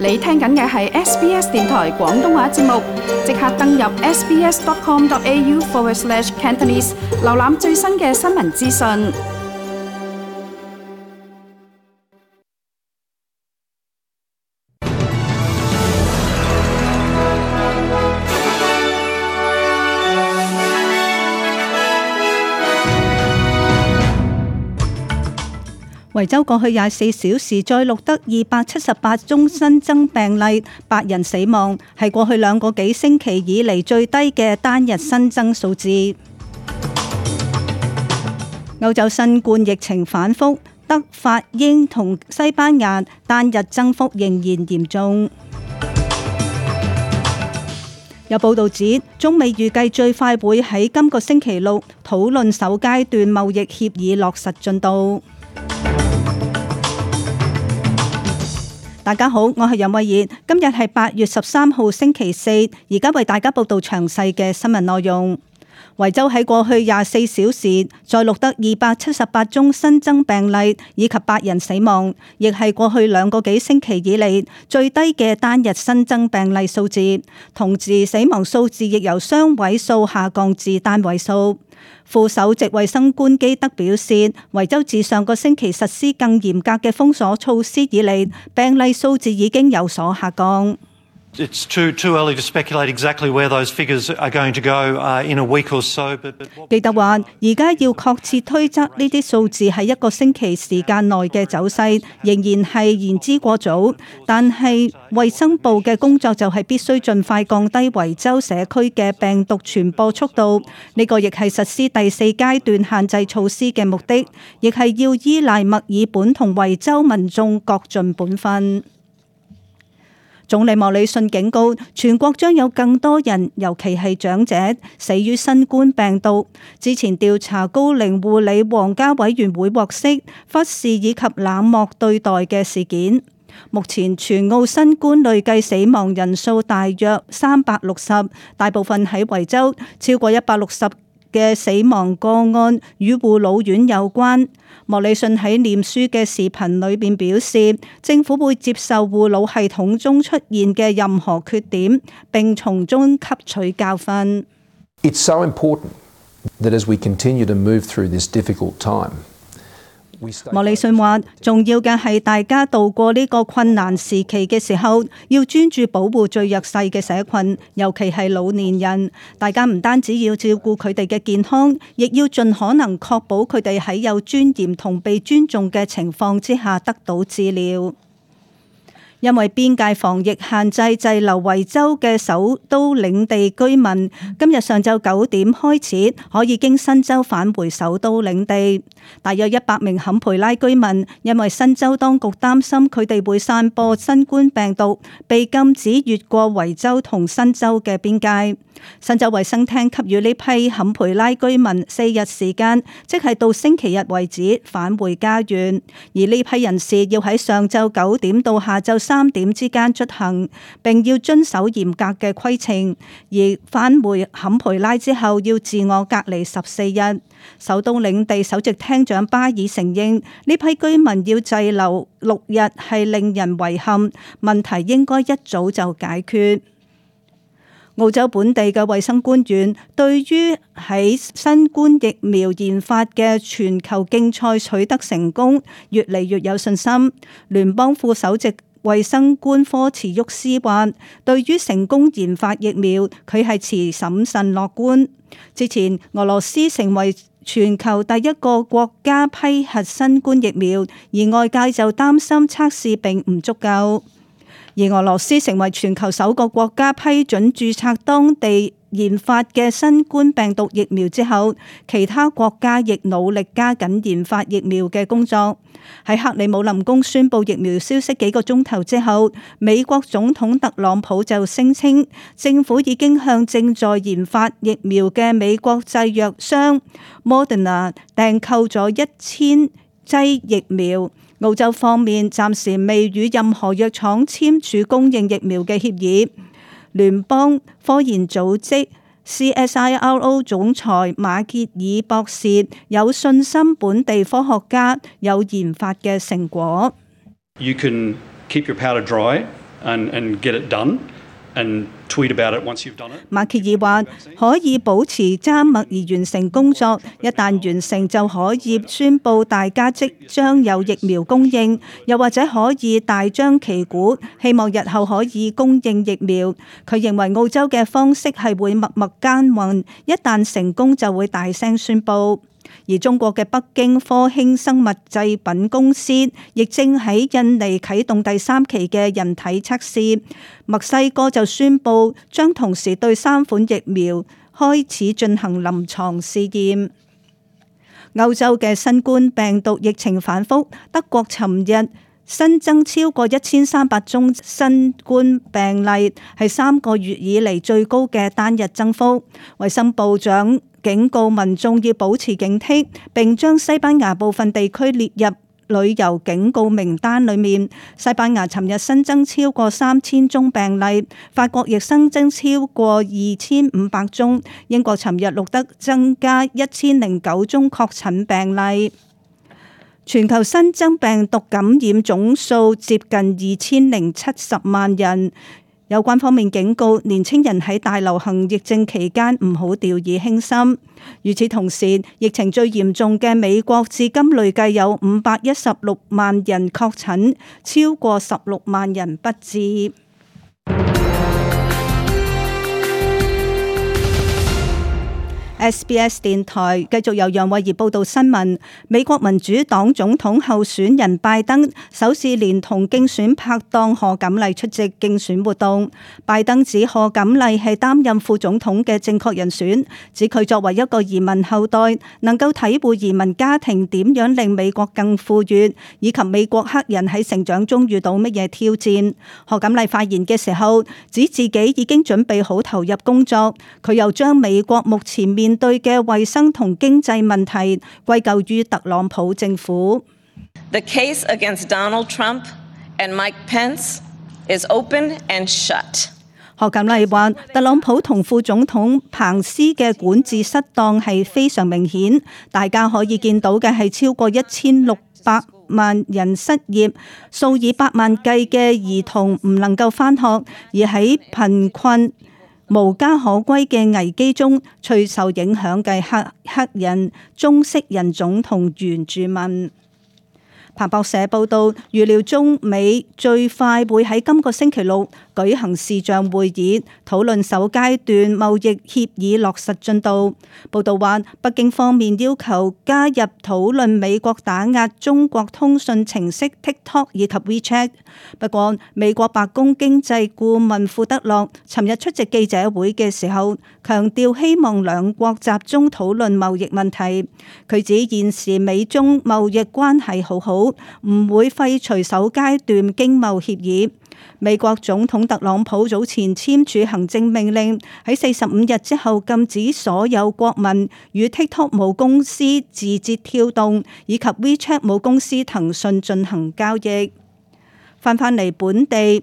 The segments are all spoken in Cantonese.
你聽緊嘅係 SBS 電台廣東話節目，即刻登入 sbs.com.au/Cantonese 瀏覽最新嘅新聞資訊。維州過去24小時再錄得278宗新增病例，8人死亡，係過去2個幾星期以嚟最低嘅單日新增數字。歐洲新冠疫情反覆，德、法、英同西班牙單日增幅仍然嚴重。有報道指，中美預計最快會喺今個星期六討論首階段貿易協議落實進度。大家好，我係楊慧儀，今日係8月13號星期四，而家為大家報道詳細嘅新聞內容。維州喺過去24小時再錄得278宗新增病例，以及8人死亡，亦係過去2個幾星期以嚟最低嘅單日新增病例數字，同時死亡數字亦由雙位數下降至單位數。副首席衛生官基德表示，維州自上個星期實施更嚴格嘅封鎖措施以嚟，病例數字已經有所下降。It's too early to speculate exactly where those figures are going to go in a week or so. But 基德話：而家要確切推測呢啲數字喺1個星期時間內嘅走勢，仍然係言之過早。但係衛生部嘅工作就係必須盡快降低維州社區嘅病毒傳播速度。呢個亦係實施第4階段限制措施嘅目的，亦係要依賴墨爾本同維州民眾各盡本分。總理莫里遜警告，全國將有更多人，尤其係長者，死於新冠病毒。之前調查高齡護理皇家委員會獲悉忽視以及冷漠對待嘅事件。目前全澳新冠累計死亡人數大約360，大部分喺維州，超過160嘅死亡個案與護老院有關。莫里遜喺臉書嘅視頻裏邊表示，政府會接受護老系統中出現嘅任何缺點，並從中吸取教訓。It's so important that as we continue to move through this difficult time, 莫里遜話：重要嘅係大家度過呢個困難時期嘅時候，要專注保護最弱勢嘅社群，尤其係老年人。大家唔單止要照顧佢哋嘅健康，亦要盡可能確保佢哋喺有尊嚴同被尊重嘅情況之下得到治療。因為邊界防疫限制滯留維州嘅首都領地居民，今日上晝9點開始可以經新州返回首都領地。大約100名坎培拉居民因為新州當局擔心佢哋會散播新冠病毒，被禁止越過維州同新州嘅邊界。新州衛生廳給予呢批坎培拉居民4日時間，即係到星期日為止返回家園。而呢批人士要喺上晝9點到下晝3點之間出行，並要遵守嚴格嘅規程。而返回坎培拉之後要自我隔離14日。首都領地首席廳長巴爾承認，呢批居民要滯留6日係令人遺憾，問題應該一早就解決。澳洲本地嘅衛生官員對於喺新冠疫苗研發嘅全球競賽取得成功，越嚟越有信心。聯邦副首席衛生官科茨沃斯話，對於成功研發疫苗，佢係持審慎樂觀。之前俄羅斯成為全球第一個國家批核新冠疫苗，而外界就擔心測試並唔足夠。而俄羅斯成為全球首個國家批准註冊當地研發嘅新冠病毒疫苗之後，其他國家亦努力加緊研發疫苗嘅工作。喺克里姆林宮宣布疫苗消息幾個鐘頭之後，美國總統特朗普就聲稱，政府已經向正在研發疫苗嘅美國製藥商 Moderna 訂購咗1000劑疫苗。澳洲方面暫時未與任何藥廠簽署供應疫苗嘅協議。聯邦科研組織 CSIRO 總裁馬歇爾博士有信心本地科學家有研發嘅成果。You can keep your powder dry and get it done and tweet about it once you've done it. 馬歇爾話可以保持緘默而完成工作，一旦完成就可以宣布大家即將有疫苗供應，又或者可以大張旗鼓，希望日後可以供應疫苗。佢認為澳洲嘅方式係會默默耕耘，一旦成功就會大聲宣布。而中國嘅北京科興生物製品公司亦正喺印尼啟動第3期嘅人體測試，墨西哥就宣布將同時對3款疫苗開始進行臨床試驗。歐洲嘅新冠病毒疫情反覆，德國尋日新增超過1300宗新冠病例，係3個月以嚟最高嘅單日增幅。衛生部長警告民眾要保持警惕，並將西班牙部分地區列入旅遊警告名單裏面。西班牙尋日新增超過3000宗病例，法國亦新增超過2500宗，英國尋日錄得增加1009宗確診病例。全球新增病毒感染總數接近2070萬人。有關方面警告年青人喺大流行疫症期間唔好掉以輕心。與此同時，疫情最嚴重嘅美國至今累計有516萬人確診，超過16萬人不治。SBS 電台繼續由楊慧儀報道新聞。美國民主黨總統候選人拜登首次連同競選拍檔賀錦麗出席競選活動。拜登指賀錦麗係擔任副總統嘅正確人選，指佢作為一個移民後代，能夠體會移民家庭點樣令美國更富裕，以及美國黑人喺成長中遇到乜嘢挑戰。賀錦麗發言嘅時候指自己已經準備好投入工作，佢又將美國目前面對嘅衛生同經濟問題歸咎於特朗普政府。The case against Donald Trump and Mike Pence is open and shut. 賀錦麗話：特朗普同副總統彭斯嘅管治失當係非常明顯，大家可以見到嘅係超過1600萬人失業，數以百萬計嘅兒童唔能夠返學，而喺貧困無家可歸嘅危機中，最受影響嘅黑人、中式人種同原住民。彭博社報道，預料中美最快會喺今個星期六舉行視像會議，討論首階段貿易協議落實進度。報道話，北京方面要求加入討論美國打壓中國通訊程式 TikTok 以及 WeChat。不過，美國白宮經濟顧問庫德洛尋日出席記者會嘅時候，強調希望兩國集中討論貿易問題。佢指現時美中貿易關係好好，唔會廢除首階段經貿協議。美國總統特朗普早前簽署行政命令，喺45日之後禁止所有國民與 TikTok 母公司字節跳動以及 WeChat 母公司騰訊進行交易。翻嚟本地，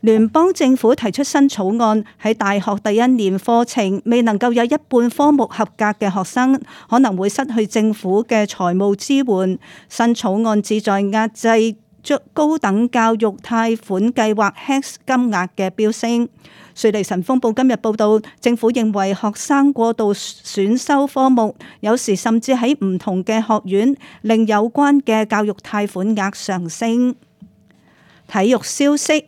聯邦政府提出新草案，喺大學第一年課程未能夠有一半科目合格嘅學生，可能會失去政府嘅財務支援。新草案旨在壓制高等教育貸款計劃 HECS 金額嘅飆升。瑞利晨鋒報今日報道，政府認為學生過度選修科目，有時甚至喺唔同嘅學院，令有關嘅教育貸款額上升。體育消息，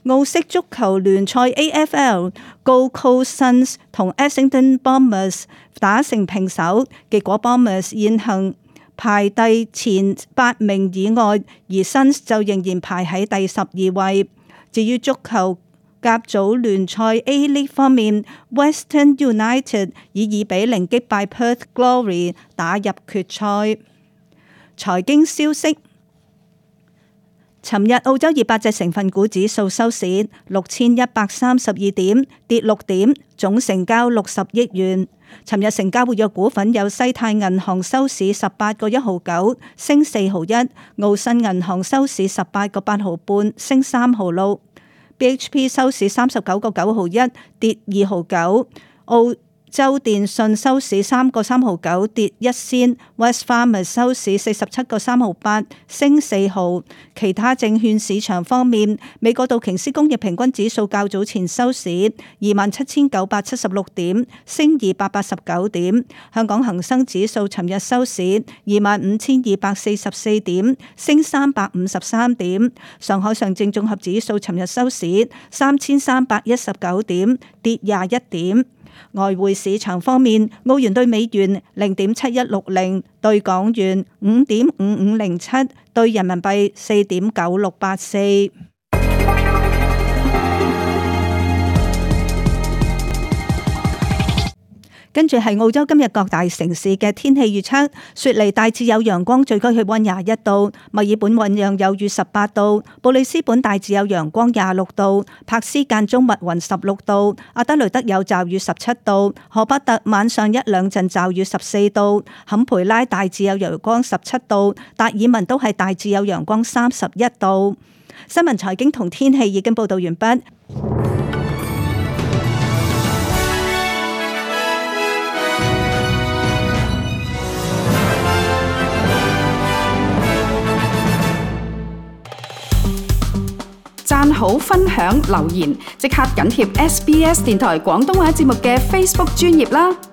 澳式足球聯賽 AFL Gold Coast Suns 同 Essendon Bombers 打成平手，結果 Bombers 現行排第前8名以外，而 Suns 就仍然排喺第12位。至於足球甲組聯賽 A-League 方面， Western United 以2-0擊敗 Perth Glory 打入決賽。財經消息，尋日澳洲200隻成分股指數收市6132點，跌6點，總成交60億元。尋日成交活躍股份有西泰銀行收市18個1毫9，升4毫1；澳新銀行收市18個8毫半，升3毫6；BHP 收市39個9毫1，跌2毫9；澳州電訊收市3個3毫9，跌1仙。West Farmers 收市47個3毫8，升4毫。其他證券市場方面，美國道瓊斯工業平均指數較早前收市27,976點，升289點。香港恒生指數尋日收市25,244點，升353點。上海上證綜合指數尋日收市3,319點，跌21點。外匯市場方面，澳元兌美元0.7160，兌港元5.5507，兌人民幣4.9684。跟住係澳洲今日各大城市嘅天氣預測：雪梨大致有陽光，最高氣溫21度；墨爾本醞釀有雨18度；布里斯本大致有陽光26度；柏斯間中密雲16度；阿德雷德有驟雨17度；荷伯特晚上一兩陣驟雨14度；坎培拉大致有陽光17度；達爾文都係大致有陽光31度。新聞財經同天氣已經報道完畢。讚好、分享、留言，即刻緊貼SBS 電台廣東話節目嘅 Facebook 專頁啦！